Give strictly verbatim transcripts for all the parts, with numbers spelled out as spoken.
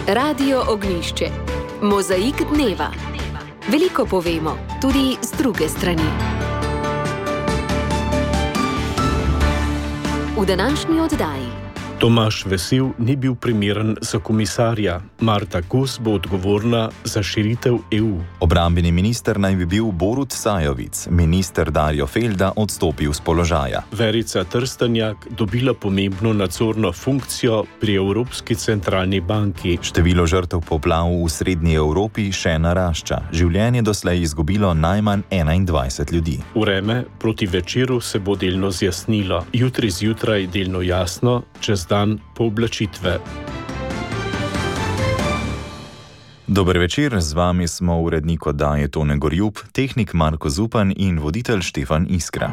Radio Ognjišče. Mozaik dneva. Veliko povemo, tudi z druge strani. V današnji oddaji. Tomaž Vesel ni bil primeren za komisarja. Marta Kos bo odgovorna za širitev E U. Obrambni minister naj bi bil Borut Sajovic. Minister Darjo Felda odstopil z položaja. Verica Trstenjak dobila pomembno nadzorno funkcijo pri Evropski centralni banki. Število žrtev poplav v srednji Evropi še narašča. Življenje doslej izgubilo najmanj enaindvajset ljudi. Vreme proti večeru se bo delno zjasnilo. Jutri zjutraj delno jasno, čez dan pooblačitve. Dober večer, z vami smo urednik oddaje Tone Gorjup, tehnik Marko Zupan in voditelj Štefan Iskra.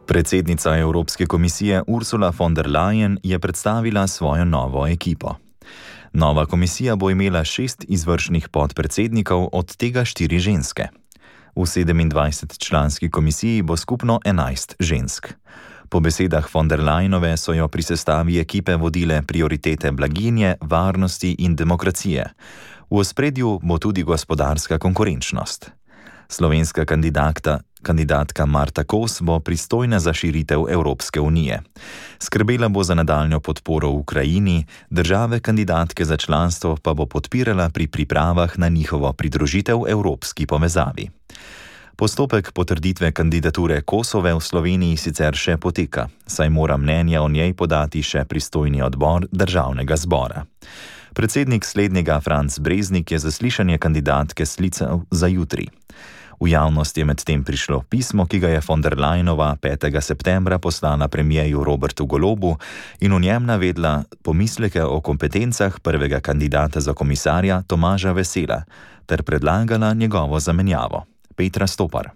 Predsednica Evropske komisije Ursula von der Leyen je predstavila svojo novo ekipo. Nova komisija bo imela šest izvršnih podpredsednikov, od tega štiri ženske. V sedemindvajsetčlanski komisiji bo skupno enajst žensk. Po besedah von der Leyenove so jo pri sestavi ekipe vodile prioritete blaginje, varnosti in demokracije. V ospredju bo tudi gospodarska konkurenčnost. Slovenska kandidatka, kandidatka Marta Kos bo pristojna za širitev Evropske unije. Skrbela bo za nadaljnjo podporo Ukrajini, države kandidatke za članstvo pa bo podpirala pri pripravah na njihovo pridružitev evropski povezavi. Postopek potrditve kandidature Kosove v Sloveniji sicer še poteka, saj mora mnenja o njej podati še pristojni odbor državnega zbora. Predsednik slednjega Franc Breznik je zaslišanje kandidatke sklical za jutri. V javnost je medtem prišlo pismo, ki ga je von der Leyenova petega septembra poslala premierju Robertu Golobu in v njem navedla pomisleke o kompetencah prvega kandidata za komisarja Tomaža Vesela ter predlagala njegovo zamenjavo. Petra Stopar.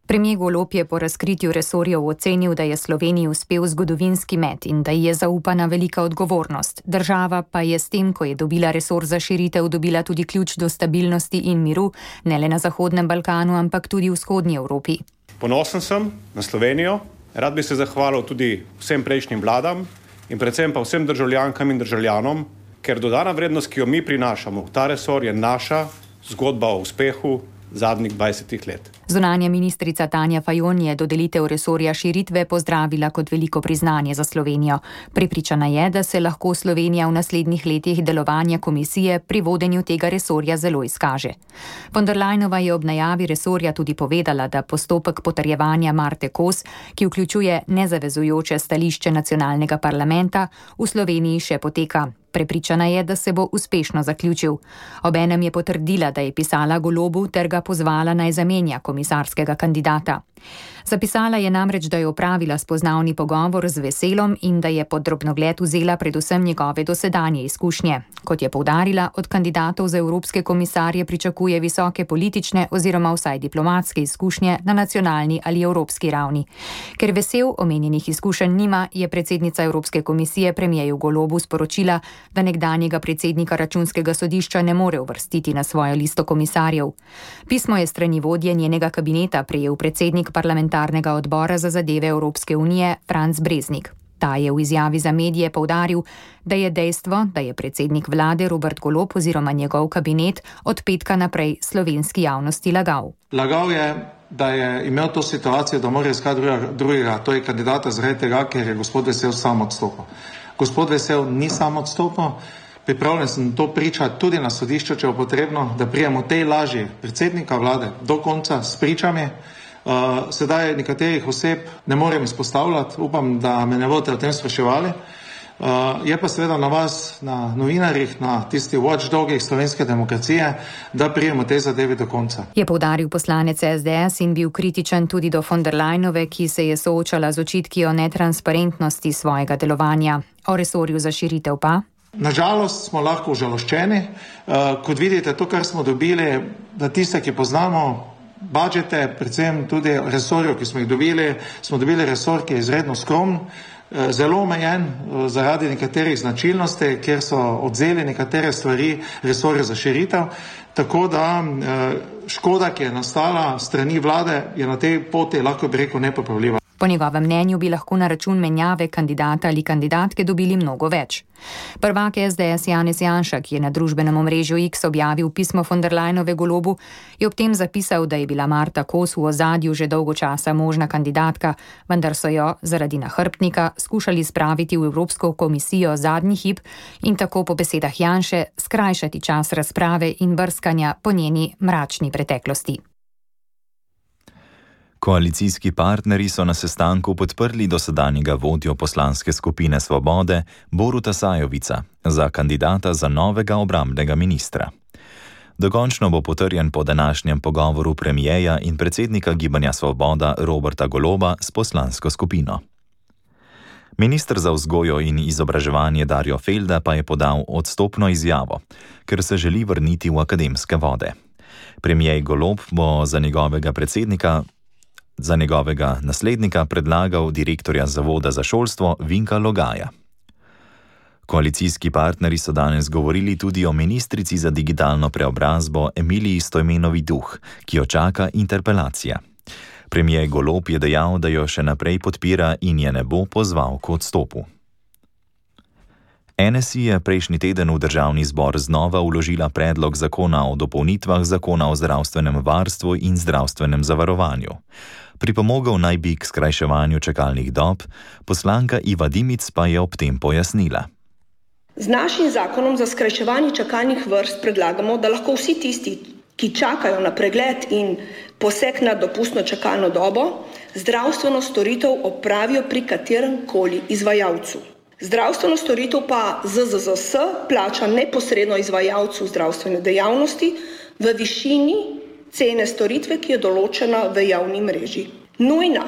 Premier Golob je po razkritju resorjev ocenil, da je Sloveniji uspel zgodovinski met in da ji je zaupana velika odgovornost. Država pa je s tem, ko je dobila resor za širitev, dobila tudi ključ do stabilnosti in miru, ne le na Zahodnem Balkanu, ampak tudi v vzhodnji Evropi. Ponosen sem na Slovenijo, rad bi se zahvalil tudi vsem prejšnjim vladam in predvsem pa vsem državljankam in državljanom, ker dodana vrednost, ki jo mi prinašamo v ta resor, je naša zgodba o uspehu zadnjih dvajsetih let. Zunanja ministrica Tanja Fajon je dodelitev resorja širitve pozdravila kot veliko priznanje za Slovenijo. Prepričana je, da se lahko Slovenija v naslednjih letih delovanja komisije pri vodenju tega resorja zelo izkaže. Von der Leyenova je ob najavi resorja tudi povedala, da postopek potrjevanja Marte Kos, ki vključuje nezavezujoče stališče nacionalnega parlamenta, v Sloveniji še poteka. Prepričana je, da se bo uspešno zaključil. Obenem je potrdila, da je pisala Golobu ter ga pozvala naj zamenja komisarskega kandidata. Zapisala je namreč, da je opravila spoznavni pogovor z Veselom in da je pod drobnogled vzela predvsem njegove dosedanje izkušnje. Kot je poudarila, od kandidatov za evropske komisarje pričakuje visoke politične oziroma vsaj diplomatske izkušnje na nacionalni ali evropski ravni. Ker Vesel omenjenih izkušenj nima, je predsednica Evropske komisije premierju Golobu sporočila, da nekdanjega predsednika Računskega sodišča ne more uvrstiti na svojo listo komisarjev. Pismo je strani vodje njenega kabineta prejel predsednik parlamentarnega odbora za zadeve Evropske unije Franc Breznik. Ta je v izjavi za medije poudaril, da je dejstvo, da je predsednik vlade Robert Golob oziroma njegov kabinet od petka naprej slovenski javnosti lagal. Lagal je, da je imel to situacijo, da mora iskati drugega, drugega, to je kandidata zaradi tega, ker je gospod Vesel sam odstopil. Gospod Vesel ni sam odstopil, pripravljen sem to pričati tudi na sodišču, če bo potrebno, da prijemo tej laži predsednika vlade do konca s pričami. Uh, sedaj nekaterih oseb ne morem izpostavljati, upam, da me ne boste o tem spraševali. Uh, je pa seveda na vas, na novinarjih, na tisti watchdogih slovenske demokracije, da prijemo te zadeve do konca. Je poudaril poslanec S D S in bil kritičen tudi do von der Leyenove, ki se je soočala z očitki o netransparentnosti svojega delovanja. O resorju za širitev pa? Nažalost smo lahko užaloščeni. Uh, kot vidite, to, kar smo dobili, da tiste, ki poznamo budžete, predvsem tudi resorjev, ki smo jih dobili, smo dobili resor, ki je izredno skromen, zelo omejen zaradi nekaterih značilnosti, kjer so odzeli nekatere stvari resorja za širitev, tako da škoda, ki je nastala strani vlade, je na tej poti, lahko bi rekel, nepopravljiva. Po njegovem mnenju bi lahko na račun menjave kandidata ali kandidatke dobili mnogo več. Prvak S D S Janez Janša, ki je na družbenem omrežju X objavil pismo von der Leyenove Golobu, je ob tem zapisal, da je bila Marta Kos v ozadju že dolgo časa možna kandidatka, vendar so jo zaradi nahrbtnika skušali spraviti v Evropsko komisijo zadnji hip in tako po besedah Janše skrajšati čas razprave in brskanja po njeni mračni preteklosti. Koalicijski partnerji so na sestanku podprli dosedanjega vodjo poslanske skupine Svobode Boruta Sajovica za kandidata za novega obrambnega ministra. Dokončno bo potrjen po današnjem pogovoru premijeja in predsednika Gibanja Svoboda Roberta Goloba s poslansko skupino. Minister za vzgojo in izobraževanje Darjo Felda pa je podal odstopno izjavo, ker se želi vrniti v akademske vode. Premijer Golob bo za njegovega predsednika Za njegovega naslednika predlagal direktorja Zavoda za šolstvo Vinka Logaja. Koalicijski partnerji so danes govorili tudi o ministrici za digitalno preobrazbo Emiliji Stojmenovi Duh, ki jo čaka interpelacija. Premijer Golob je dejal, da jo še naprej podpira in je ne bo pozval k odstopu. N S I je prejšnji teden v državni zbor znova vložila predlog zakona o dopolnitvah zakona o zdravstvenem varstvu in zdravstvenem zavarovanju. Pripomogel naj bi k skrajševanju čakalnih dob, poslanka Iva Dimic pa je ob tem pojasnila. Z našim zakonom za skrajševanje čakalnih vrst predlagamo, da lahko vsi tisti, ki čakajo na pregled in poseg na dopustno čakalno dobo, zdravstveno storitev opravijo pri katerem koli izvajalcu. Zdravstveno storitev pa Z Z Z S plača neposredno izvajalcu zdravstvene dejavnosti v višini cene storitve, ki je določena v javni mreži. Nujna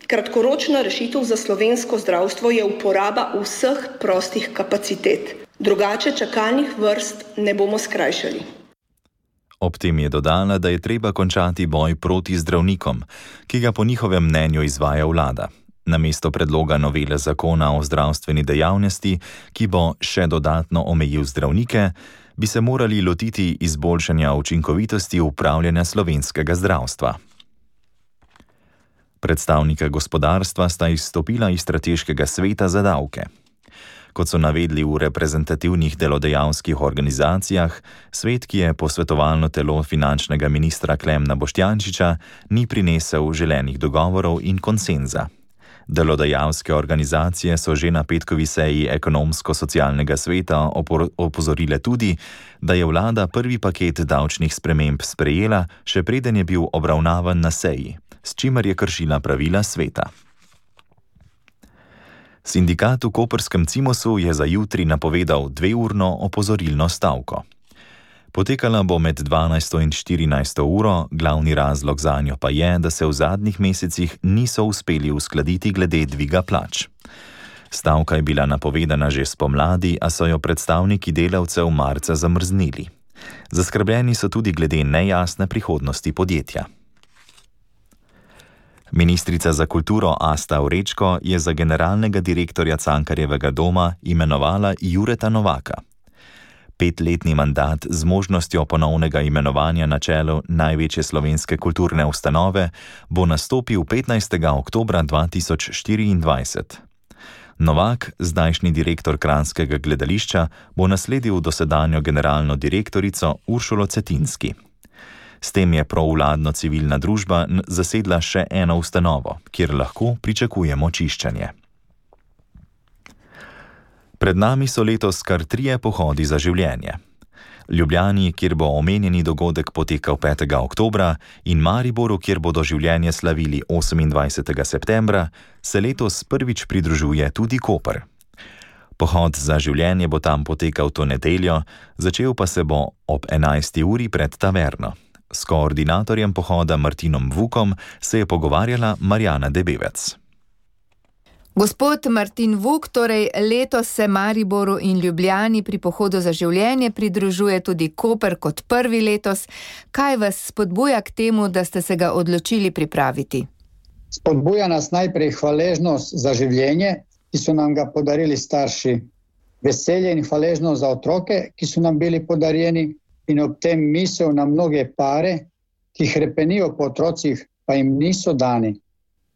kratkoročna rešitev za slovensko zdravstvo je uporaba vseh prostih kapacitet. Drugače čakalnih vrst ne bomo skrajšali. Ob tem je dodala, da je treba končati boj proti zdravnikom, ki ga po njihovem mnenju izvaja vlada. Namesto predloga novele zakona o zdravstveni dejavnosti, ki bo še dodatno omejil zdravnike, bi se morali lotiti izboljšanja učinkovitosti upravljanja slovenskega zdravstva. Predstavnika gospodarstva sta izstopila iz strateškega sveta za davke. Kot so navedli v reprezentativnih delodajalskih organizacijah, svet, ki je posvetovalno telo finančnega ministra Klemna Boštjančiča, ni prinesel želenih dogovorov in konsenza. Delodajalske organizacije so že na petkovi seji ekonomsko-socialnega sveta opozorile tudi, da je vlada prvi paket davčnih sprememb sprejela, še preden je bil obravnavan na seji, s čimer je kršila pravila sveta. Sindikat v koperskem Cimosu je za jutri napovedal dveurno opozorilno stavko. Potekala bo med dvanajsto in štirinajsto uro, glavni razlog zanjo pa je, da se v zadnjih mesecih niso uspeli uskladiti glede dviga plač. Stavka je bila napovedana že spomladi, a so jo predstavniki delavcev marca zamrznili. Zaskrbljeni so tudi glede nejasne prihodnosti podjetja. Ministrica za kulturo Asta Vrečko je za generalnega direktorja Cankarjevega doma imenovala Jureta Novaka. Petletni mandat z možnostjo ponovnega imenovanja na čelu največje slovenske kulturne ustanove bo nastopil petnajstega oktobra dva tisoč štiriindvajset. Novak, zdajšnji direktor Kranjskega gledališča, bo nasledil dosedanjo generalno direktorico Uršulo Cetinski. S tem je provladno civilna družba zasedla še eno ustanovo, kjer lahko pričakujemo čiščenje. Pred nami so letos kar trije pohodi za življenje. Ljubljani, kjer bo omenjeni dogodek potekal petega oktobra, in Mariboru, kjer bodo življenje slavili osemindvajsetega septembra, se letos prvič pridružuje tudi Koper. Pohod za življenje bo tam potekal to nedeljo, začel pa se bo ob enajsti uri pred taverno. S koordinatorjem pohoda Martinom Vukom se je pogovarjala Marjana Debevec. Gospod Martin Vuk, torej letos se Mariboru in Ljubljani pri pohodu za življenje pridružuje tudi Koper kot prvi letos. Kaj vas spodbuja k temu, da ste se ga odločili pripraviti? Spodbuja nas najprej hvaležnost za življenje, ki so nam ga podarili starši. Veselje in hvaležnost za otroke, ki so nam bili podarjeni, in ob tem misel na mnoge pare, ki hrepenijo po otrocih, pa jim niso dani.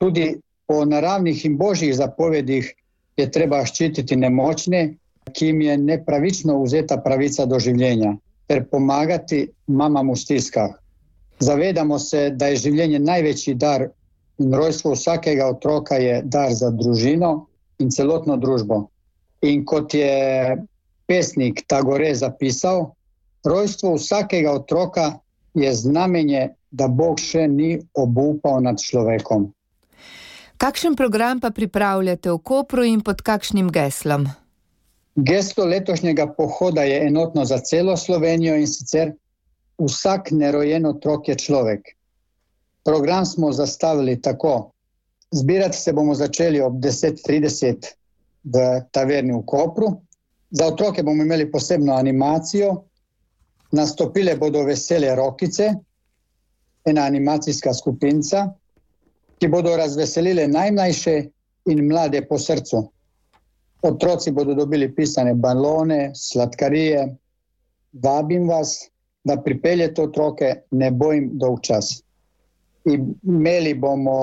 Tudi Po naravnih in božjih zapovedih je treba ščititi nemočne, ki jim je nepravično vzeta pravica do življenja, ter pomagati mamam v stiskah. Zavedamo se, da je življenje največji dar in rojstvo vsakega otroka je dar za družino in celotno družbo. In kot je pesnik Tagore zapisal, rojstvo vsakega otroka je znamenje, da Bog še ni obupal nad človekom. Kakšen program pa pripravljate v Kopru in pod kakšnim geslom? Geslo letošnjega pohoda je enotno za celo Slovenijo in sicer vsak nerojen otrok je človek. Program smo zastavili tako. Zbirati se bomo začeli ob deset trideset v taverni v Kopru. Za otroke bomo imeli posebno animacijo. Nastopile bodo Vesele rokice, ena animacijska skupinca, ki bodo razveselile najmlajše in mlade po srcu. Otroci bodo dobili pisane balone, sladkarije. Vabim vas, da pripeljete otroke, ne bo jim dolgčas. Imeli bomo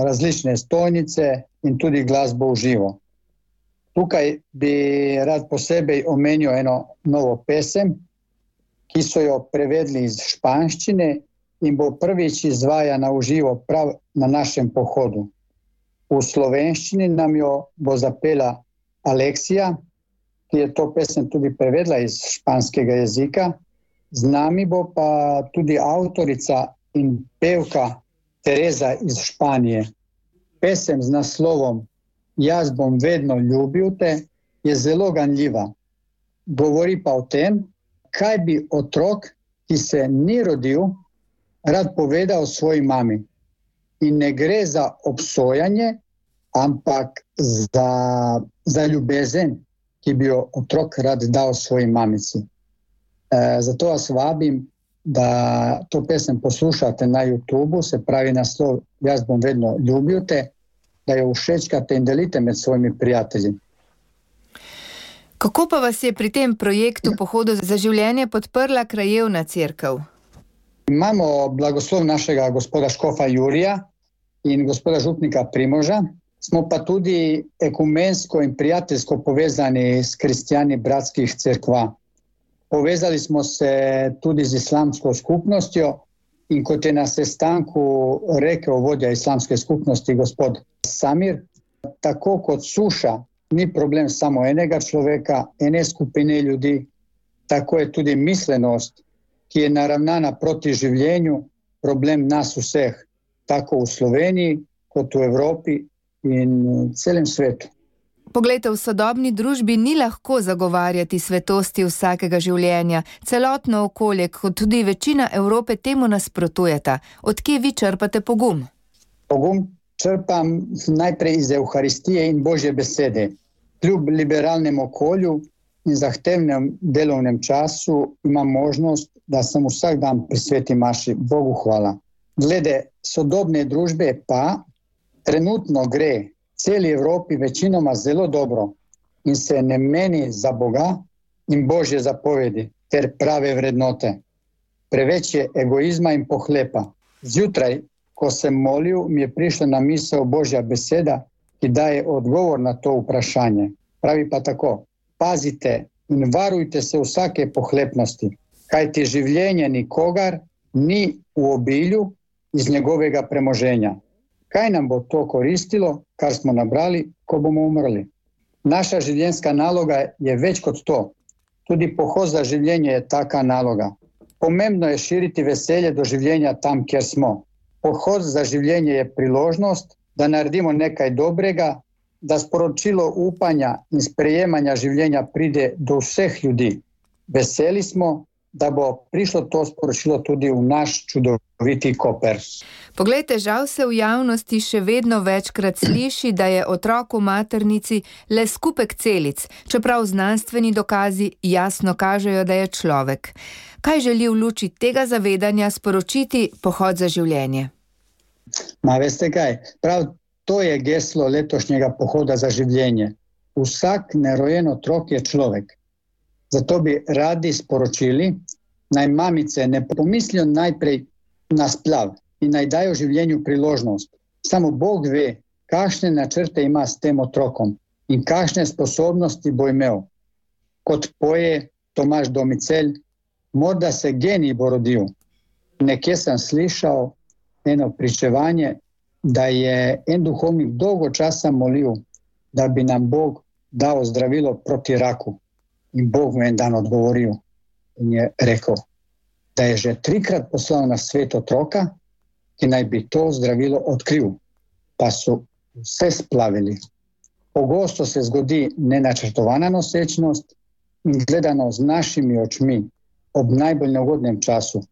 različne stojnice in tudi glasbo v živo. Tukaj bi rad posebej omenil eno novo pesem, ki so jo prevedli iz španščine in bo prvič izvajana v živo prav na našem pohodu. V slovenščini nam jo bo zapela Aleksija, ki je to pesem tudi prevedla iz španskega jezika. Z nami bo pa tudi avtorica in pevka Tereza iz Španije. Pesem z naslovom Jaz bom vedno ljubil te je zelo ganljiva. Govori pa o tem, kaj bi otrok, ki se ni rodil, rad povedal svoji mami. In ne gre za obsojanje, ampak za, za ljubezen, ki bi jo otrok rad dal svoji mamici. E, zato vas vabim, da to pesem poslušate na YouTubu, se pravi naslov Jaz bom vedno ljubil te, da jo všečkate in delite med svojimi prijatelji. Kako pa vas je pri tem projektu Pohodu za življenje podprla krajevna cerkev? Imamo blagoslov našega gospoda škofa Jurija in gospoda župnika Primoža. Smo pa tudi ekumensko in prijateljsko povezani s kristjani bratskih cerkva. Povezali smo se tudi z islamsko skupnostjo in kot je na sestanku rekel vodja islamske skupnosti gospod Samir, tako kot suša ni problem samo enega človeka, ene skupine ljudi, tako je tudi mislenost, ki je naravnana proti življenju, problem nas vseh, tako v Sloveniji kot v Evropi in celem svetu. Poglejte, v sodobni družbi ni lahko zagovarjati svetosti vsakega življenja. Celotno okolje, kot tudi večina Evrope, temu nasprotujeta. Od kje vi črpate pogum? Pogum črpam najprej iz Evharistije in Božje besede. Kljub liberalnemu okolju in zahtevnem delovnem času imam možnost, da sem vsak dan prisvetim maši. Bogu hvala. Glede sodobne družbe pa trenutno gre celi Evropi večinoma zelo dobro in se ne meni za Boga in Božje zapovedi ter prave vrednote. Preveč je egoizma in pohlepa. Zjutraj, ko sem molil, mi je prišla na misel Božja beseda, ki daje odgovor na to vprašanje. Pravi pa tako: pazite in varujte se vsake pohlepnosti, kajti življenje nikogar ni v obilju iz njegovega premoženja. Kaj nam bo to koristilo, kar smo nabrali, ko bomo umrli? Naša življenjska naloga je več kot to. Tudi pohod za življenje je taka naloga. Pomembno je širiti veselje do življenja tam, kjer smo. Pohod za življenje je priložnost, da naredimo nekaj dobrega, da sporočilo upanja in sprejemanja življenja pride do vseh ljudi. Veseli smo, da bo prišlo to sporočilo tudi v naš čudoviti Koper. Poglejte, žal se v javnosti še vedno večkrat sliši, da je otrok v maternici le skupek celic, čeprav znanstveni dokazi jasno kažejo, da je človek. Kaj želi v luči tega zavedanja sporočiti Pohod za življenje? Ma veste kaj, prav to je geslo letošnjega Pohoda za življenje. Vsak nerojen otrok je človek. Zato bi radi sporočili, naj mamice ne pomislijo najprej na splav in naj dajo življenju priložnost. Samo Bog ve, kakšne načrte ima s tem otrokom in kakšne sposobnosti bo imel. Kot poje Tomaž Domicelj, morda se genij bo rodil. Nekje sem slišal eno pričevanje, da je en duhovnik dolgo časa molil, da bi nam Bog dal zdravilo proti raku. In Bog mu en dan odgovoril in je rekel, da je že trikrat poslal na svet otroka, ki naj bi to zdravilo odkril, pa so vse splavili. Pogosto se zgodi nenačrtovana nosečnost in gledano z našimi očmi ob najbolj neugodnem času,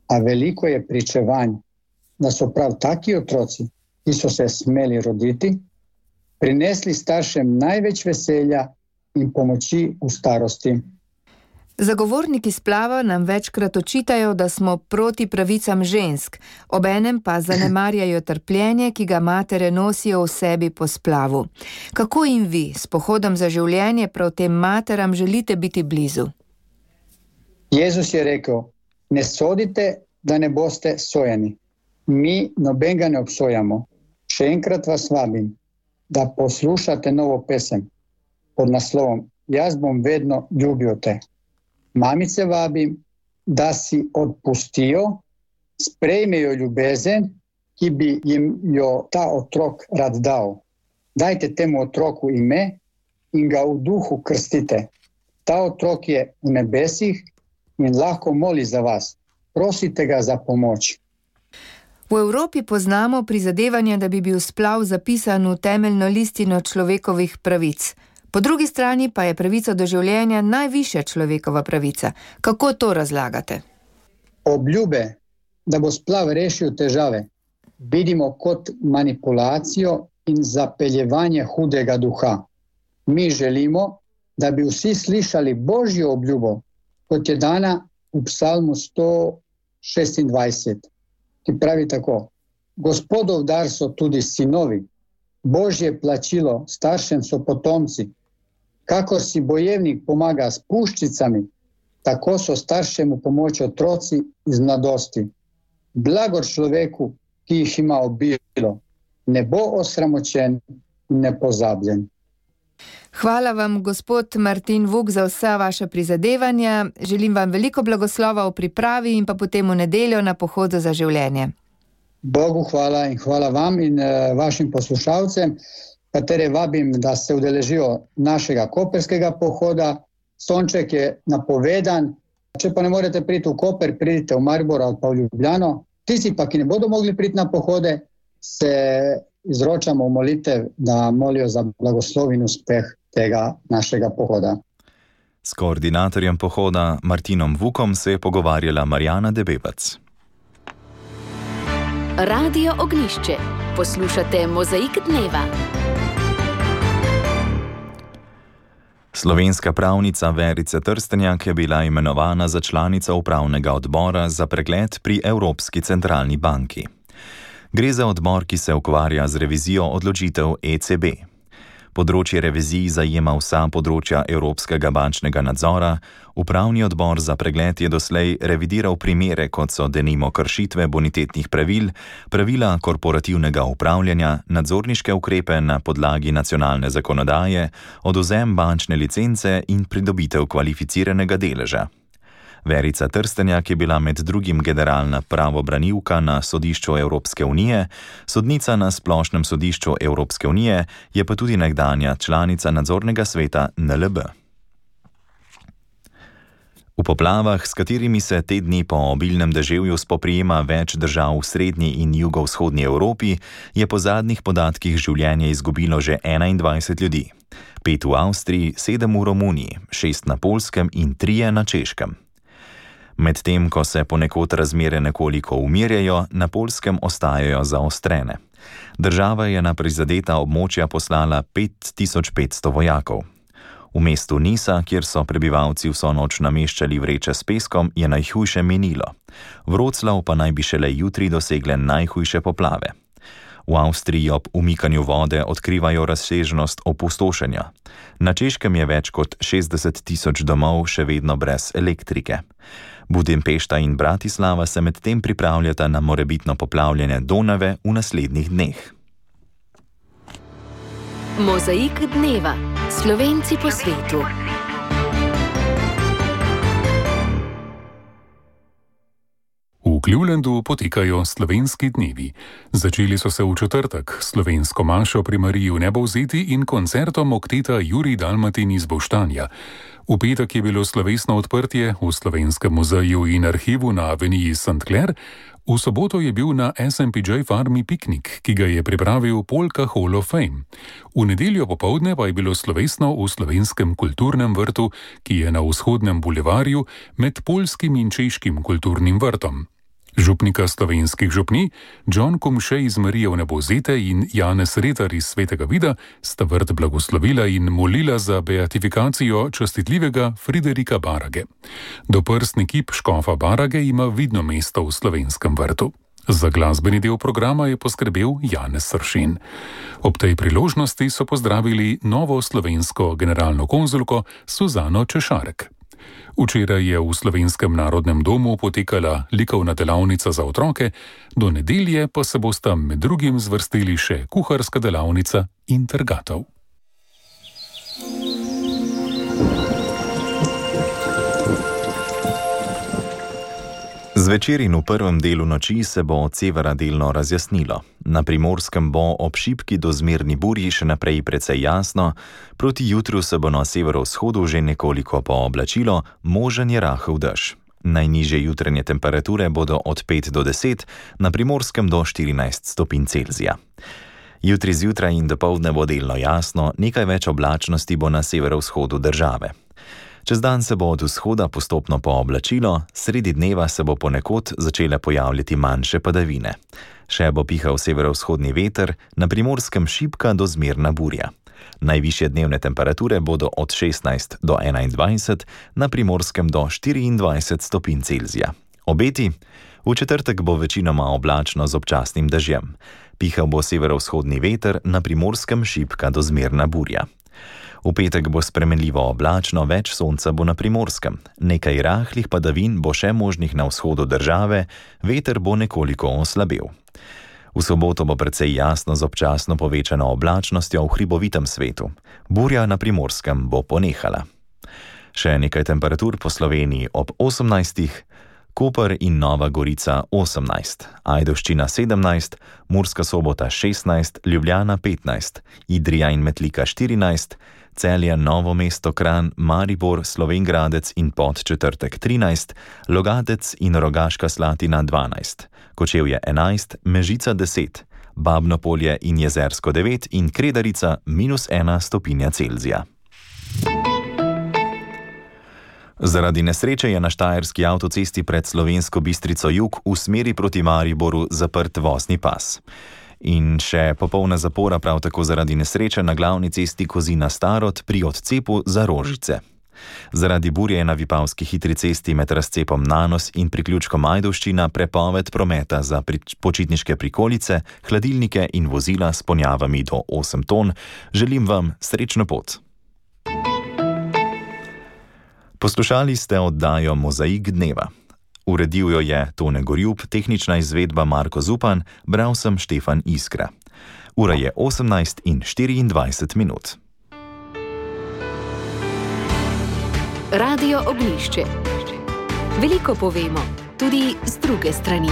a veliko je pričevanj, da so prav taki otroci, ki so se smeli roditi, prinesli staršem največ veselja in pomoči v starosti. Zagovorniki splava nam večkrat očitajo, da smo proti pravicam žensk, obenem pa zanemarjajo trpljenje, ki ga matere nosijo v sebi po splavu. Kako jim vi s pohodom za življenje prav tem materam želite biti blizu? Jezus je rekel, ne sodite, da ne boste sojeni. Mi nobenega ne obsojamo. Še enkrat vas vabim, da poslušate novo pesem pod naslovom Jaz bom vedno ljubil te. Mamice vabim, da si odpustijo, sprejmejo ljubezen, ki bi jim jo ta otrok rad dal. Dajte temu otroku ime in ga v duhu krstite. Ta otrok je v nebesih in lahko moli za vas. Prosite ga za pomoč. V Evropi poznamo prizadevanje, da bi bil splav zapisan v temeljno listino človekovih pravic. Po drugi strani pa je pravica do življenja najvišja človekova pravica. Kako to razlagate? Obljube, da bo splav rešil težave, vidimo kot manipulacijo in zapeljevanje hudega duha. Mi želimo, da bi vsi slišali Božjo obljubo, kot je dana v psalmu sto šestindvajset, ki pravi tako. Gospodov dar so tudi sinovi, Božje plačilo staršem so potomci. Kakor si bojevnik pomaga s puščicami, tako so staršemu pomoč otroci iz mladosti. Blagor človeku, ki jih ima obilo, ne bo osramočen in nepozabljen. Hvala vam, gospod Martin Vuk, za vsa vaša prizadevanja. Želim vam veliko blagoslova v pripravi in pa potem v nedeljo na pohodu za življenje. Bogu hvala in hvala vam in uh, vašim poslušalcem, katere vabim, da se udeležijo našega koperskega pohoda. Sonček je napovedan. Če pa ne morete priti v Koper, pridite v Maribor ali pa v Ljubljano. Tisti pa, ki ne bodo mogli priti na pohode, se izročamo v molitev, da molijo za blagoslov in uspeh tega našega pohoda. S koordinatorjem pohoda Martinom Vukom se je pogovarjala Marjana Debevac. Radio Ognjišče. Poslušate Mozaik dneva. Slovenska pravnica Verica Trstenjak je bila imenovana za članica upravnega odbora za pregled pri Evropski centralni banki. Gre za odbor, ki se ukvarja z revizijo odločitev E C B. Področje revizij zajema vsa področja evropskega bančnega nadzora. Upravni odbor za pregled je doslej revidiral primere, kot so denimo kršitve bonitetnih pravil, pravila korporativnega upravljanja, nadzorniške ukrepe na podlagi nacionalne zakonodaje, odvzem bančne licence in pridobitev kvalificiranega deleža. Verica Trstenjak je bila med drugim generalna pravobranilka na Sodišču Evropske unije, sodnica na Splošnem sodišču Evropske unije, je pa tudi nekdanja članica nadzornega sveta N L B. V poplavah, s katerimi se te dni po obilnem deževju spoprijema več držav v srednji in jugovzhodni Evropi, je po zadnjih podatkih življenje izgubilo že enaindvajset ljudi. Pet v Avstriji, sedem v Romuniji, šest na Poljskem in trije na Češkem. Medtem, ko se ponekod razmere nekoliko umirjajo, na Poljskem ostajajo zaostrene. Država je na prizadeta območja poslala pet tisoč petsto vojakov. V mestu Nisa, kjer so prebivalci vso noč nameščali vreče s peskom, je najhujše minilo. Vroclav pa naj bi šele jutri dosegle najhujše poplave. V Avstriji ob umikanju vode odkrivajo razsežnost opustošenja. Na Češkem je več kot šestdeset tisoč domov še vedno brez elektrike. Budimpešta in Bratislava se medtem pripravljata na morebitno poplavljanje Donave v naslednjih dneh. Mozaik dneva. Slovenci po svetu. V Clevelandu potekajo slovenski dnevi. Začeli so se v četrtek s slovensko mašo pri Mariji v Nebovzeti in koncertom okteta Jurij Dalmatin iz Boštanja. V petek je bilo slovesno odprtje v Slovenskem muzeju in arhivu na aveniji Saint Clair, v soboto je bil na S M P J farmi piknik, ki ga je pripravil Polka Hall of Fame. V nedeljo popoldne pa je bilo slovesno v Slovenskem kulturnem vrtu, ki je na vzhodnem bulevarju med poljskim in češkim kulturnim vrtom. Župnika slovenskih župni, John Kumše iz Marije v Nebovzete in Janez Retar iz Svetega Vida, sta vrt blagoslovila in molila za beatifikacijo častitljivega Friderika Barage. Doprstni kip škofa Barage ima vidno mesto v slovenskem vrtu. Za glasbeni del programa je poskrbel Janez Sršen. Ob tej priložnosti so pozdravili novo slovensko generalno konzulko Suzano Češarek. Včeraj je v Slovenskem narodnem domu potekala likovna delavnica za otroke, do nedelje pa se bosta med drugim zvrstili še kuharska delavnica in trgatev. Zvečer in v prvem delu noči se bo od severa delno razjasnilo. Na Primorskem bo ob šibki do zmerni burji še naprej precej jasno, proti jutru se bo na severovzhodu že nekoliko pooblačilo, možen je rahel dež. Najnižje jutranje temperature bodo od pet do deset, na Primorskem do štirinajst stopinj Celzija. Jutri zjutraj in dopoldne bo delno jasno, nekaj več oblačnosti bo na severovzhodu države. Čez dan se bo od vzhoda postopno pooblačilo, sredi dneva se bo ponekod začele pojavljati manjše padavine. Še bo pihal severovzhodni veter, na Primorskem šibka do zmerna burja. Najvišje dnevne temperature bodo od šestnajst do enaindvajset, na Primorskem do štiriindvajset stopinj Celzija. Obeti? V četrtek bo večinoma oblačno z občasnim dežjem. Pihal bo severovzhodni veter, na Primorskem šibka do zmerna burja. V petek bo spremenljivo oblačno, več sonca bo na Primorskem. Nekaj rahlih padavin bo še možnih na vzhodu države, veter bo nekoliko oslabel. V soboto bo precej jasno z občasno povečano oblačnostjo v hribovitem svetu. Burja na Primorskem bo ponehala. Še nekaj temperatur po Sloveniji ob osemnajstih, Koper in Nova Gorica osemnajst, Ajdovščina sedemnajst, Murska Sobota šestnajst, Ljubljana petnajst, Idrija in Metlika štirinajst, Celje, Novo mesto, Kranj, Maribor, Slovenj Gradec in Podčetrtek trinajst, Logatec in Rogaška Slatina dvanajst, Kočevje enajst, Mežica deset, Babno Polje in Jezersko devet in Kredarica minus ena stopinja Celzija. Zaradi nesreče je na štajerski avtocesti pred Slovensko Bistrico jug v smeri proti Mariboru zaprt vozni pas. In še popolna zapora prav tako zaradi nesreče na glavni cesti Kozina-Starod pri odcepu za Rožice. Zaradi burje je na Vipavski hitri cesti med razcepom Nanos in priključkom Ajdovščina prepoved prometa za počitniške prikolice, hladilnike in vozila s ponjavami do osem ton. Želim vam srečno pot. Poslušali ste oddajo Mozaik dneva. Uredil jo je Tone Gorjub, tehnična izvedba Marko Zupan, bral sem Štefan Iskra. Ura je osemnajst in štiriindvajset minut. Radio Ognjišče. Veliko povemo, tudi z druge strani.